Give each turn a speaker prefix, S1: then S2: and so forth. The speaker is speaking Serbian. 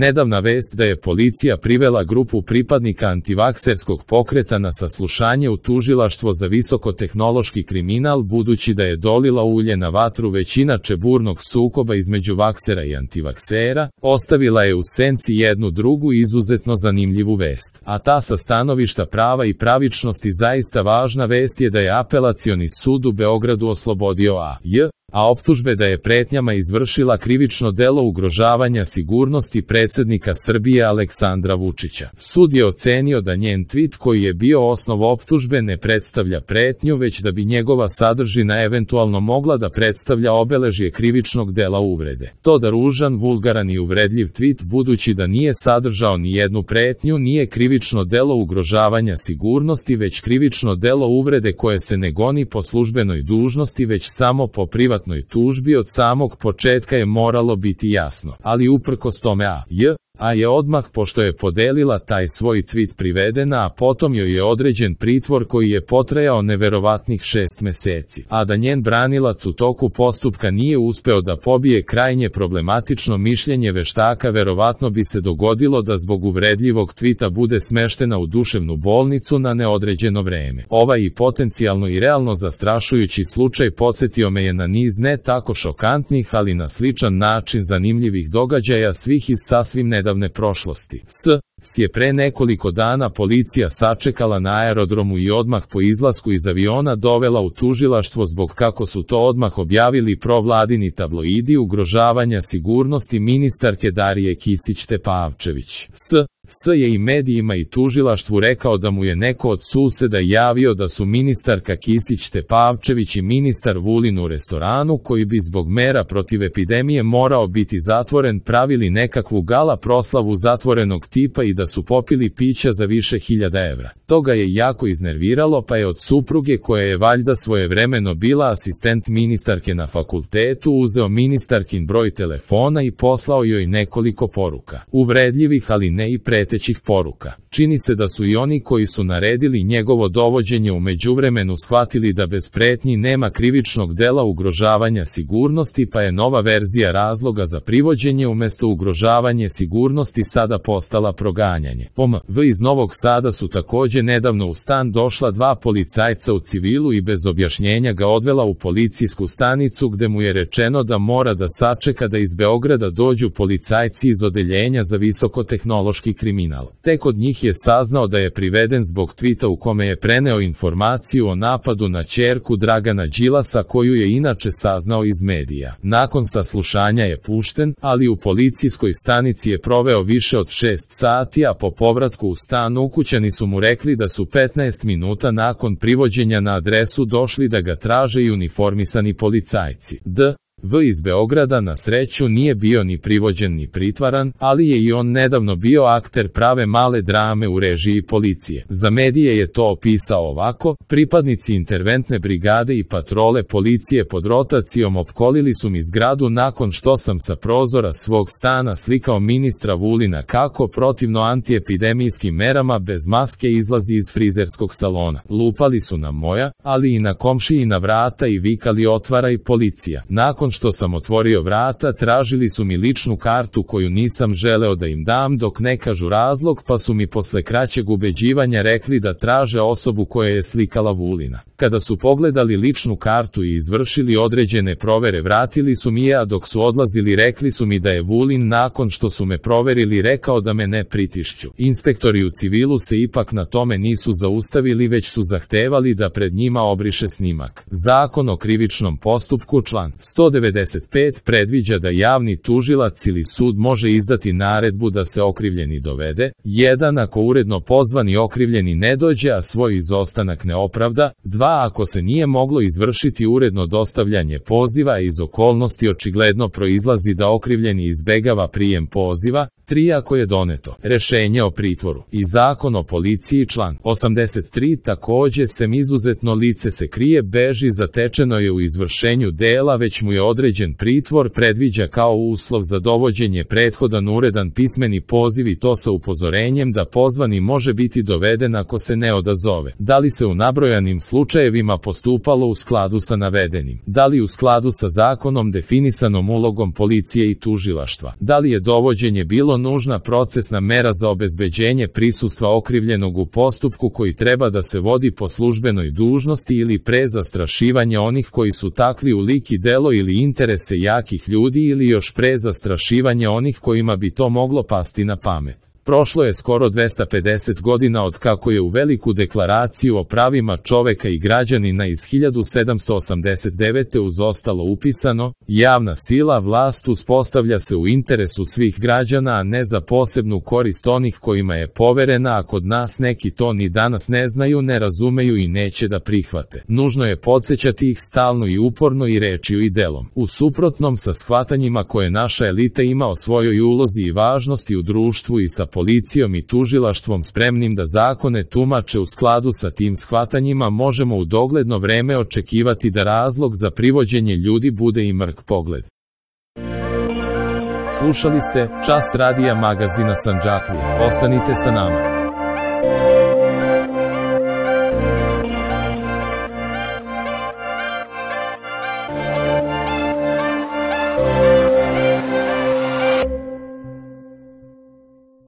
S1: Nedavna vest da je policija privela grupu pripadnika antivakserskog pokreta na saslušanje u tužilaštvo za visokotehnološki kriminal, budući da je dolila ulje na vatru već inače burnog sukoba između vaksera i antivaksera, ostavila je u senci jednu drugu izuzetno zanimljivu vest. A ta sa stanovišta prava i pravičnosti zaista važna vest je da je Apelacioni sud u Beogradu oslobodio a optužbe da je pretnjama izvršila krivično delo ugrožavanja sigurnosti predsjednika Srbije Aleksandra Vučića. Sud je ocenio da njen tweet koji je bio osnov optužbe ne predstavlja pretnju, već da bi njegova sadržina eventualno mogla da predstavlja obeležje krivičnog dela uvrede. To da ružan, vulgaran i uvredljiv tweet, budući da nije sadržao ni jednu pretnju, nije krivično delo ugrožavanja sigurnosti, već krivično delo uvrede koje se ne goni po službenoj dužnosti, već samo po privatnoj tužbi. Od samog početka je moralo biti jasno, ali uprkos tome A je odmah, pošto je podelila taj svoj tweet, privedena, a potom joj je određen pritvor koji je potrajao neverovatnih 6 meseci. A da njen branilac u toku postupka nije uspeo da pobije krajnje problematično mišljenje veštaka, verovatno bi se dogodilo da zbog uvredljivog tvita bude smeštena u duševnu bolnicu na neodređeno vreme. Ovaj i potencijalno i realno zastrašujući slučaj podsjetio me je na niz ne tako šokantnih, ali na sličan način zanimljivih događaja, svih iz sasvim nedavne prošlosti. Je pre nekoliko dana policija sačekala na aerodromu i odmah po izlasku iz aviona dovela u tužilaštvo zbog, kako su to odmah objavili provladini tabloidi, ugrožavanja sigurnosti ministarke Darije Kisić-Tepavčević. Je i medijima i tužilaštvu rekao da mu je neko od suseda javio da su ministarka Kisić-Tepavčević i ministar Vulin u restoranu, koji bi zbog mera protiv epidemije morao biti zatvoren, pravili nekakvu gala proslavu zatvorenog tipa i da su popili pića za više hiljada evra. To ga je jako iznerviralo, pa je od supruge, koja je valjda svojevremeno bila asistent ministarke na fakultetu, uzeo ministarkin broj telefona i poslao joj nekoliko poruka. Uvredljivih, ali ne i pretećih poruka. Čini se da su i oni koji su naredili njegovo dovođenje u međuvremenu shvatili da bez pretnji nema krivičnog dela ugrožavanja sigurnosti, pa je nova verzija razloga za privođenje umjesto ugrožavanje sigurnosti sada postala proganjanje. Iz Novog Sada su također nedavno u stan došla 2 policajca u civilu i bez objašnjenja ga odvela u policijsku stanicu, gde mu je rečeno da mora da sačeka da iz Beograda dođu policajci iz odeljenja za visokotehnološki kriminal. Tek od njih je saznao da je priveden zbog tvita u kome je preneo informaciju o napadu na ćerku Dragana Đilasa, koju je inače saznao iz medija. Nakon saslušanja je pušten, ali u policijskoj stanici je proveo više od 6 sati, a po povratku u stan ukućani su mu rekli da su 15 minuta nakon privođenja na adresu došli da ga traže i uniformisani policajci. Iz Beograda na sreću nije bio ni privođen ni pritvaran, ali je i on nedavno bio akter prave male drame u režiji policije. Za medije je to opisao ovako: pripadnici interventne brigade i patrole policije pod rotacijom opkolili su mi zgradu nakon što sam sa prozora svog stana slikao ministra Vulina kako protivno antiepidemijskim merama bez maske izlazi iz frizerskog salona. Lupali su na moja, ali i na komšijina vrata i vikali otvaraj policija. Nakon što sam otvorio vrata, tražili su mi ličnu kartu koju nisam želeo da im dam dok ne kažu razlog, pa su mi posle kraćeg ubeđivanja rekli da traže osobu koja je slikala Vulina. Kada su pogledali ličnu kartu i izvršili određene provere, vratili su mi je, a dok su odlazili rekli su mi da je Vulin, nakon što su me proverili, rekao da me ne pritišću. Inspektori u civilu se ipak na tome nisu zaustavili, već su zahtevali da pred njima obriše snimak. Zakon o krivičnom postupku član 195 predviđa da javni tužilac ili sud može izdati naredbu da se okrivljeni dovede. 1. Ako uredno pozvani okrivljeni ne dođe, a svoj izostanak ne opravda. 2. Ako se nije moglo izvršiti uredno dostavljanje poziva, a iz okolnosti očigledno proizlazi da okrivljeni izbegava prijem poziva. 3. Ako je doneto rešenje o pritvoru. I Zakon o policiji član 83 takođe sem izuzetno lice se krije, beži, zatečeno je u izvršenju dela, već mu je određen pritvor, predviđa kao uslov za dovođenje prethodan uredan pismeni poziv, i to sa upozorenjem da pozvani može biti doveden ako se ne odazove. Da li se u nabrojanim slučajevima postupalo u skladu sa navedenim? Da li u skladu sa zakonom definisanom ulogom policije i tužilaštva? Da li je dovođenje bilo nužna procesna mera za obezbeđenje prisustva okrivljenog u postupku koji treba da se vodi po službenoj dužnosti ili pre zastrašivanja onih koji su takli u lik i delo ili interese jakih ljudi ili još pre zastrašivanja onih kojima bi to moglo pasti na pamet. Prošlo je skoro 250 godina od kako je u Veliku deklaraciju o pravima čoveka i građanina iz 1789. uz ostalo upisano: javna sila, vlast uspostavlja se u interesu svih građana, a ne za posebnu korist onih kojima je poverena, a kod nas neki to ni danas ne znaju, ne razumeju i neće da prihvate. Nužno je podsjećati ih stalno i uporno i rečju i delom. U suprotnom sa shvatanjima koje naša elita ima o svojoj ulozi i važnosti u društvu i sa policijom i tužilaštvom spremnim da zakone tumače u skladu sa tim shvatanjima, možemo u dogledno vreme očekivati da razlog za privođenje ljudi bude i mrk pogled. Slušali ste Čas radija magazina Sandžaklija. Ostanite sa nama.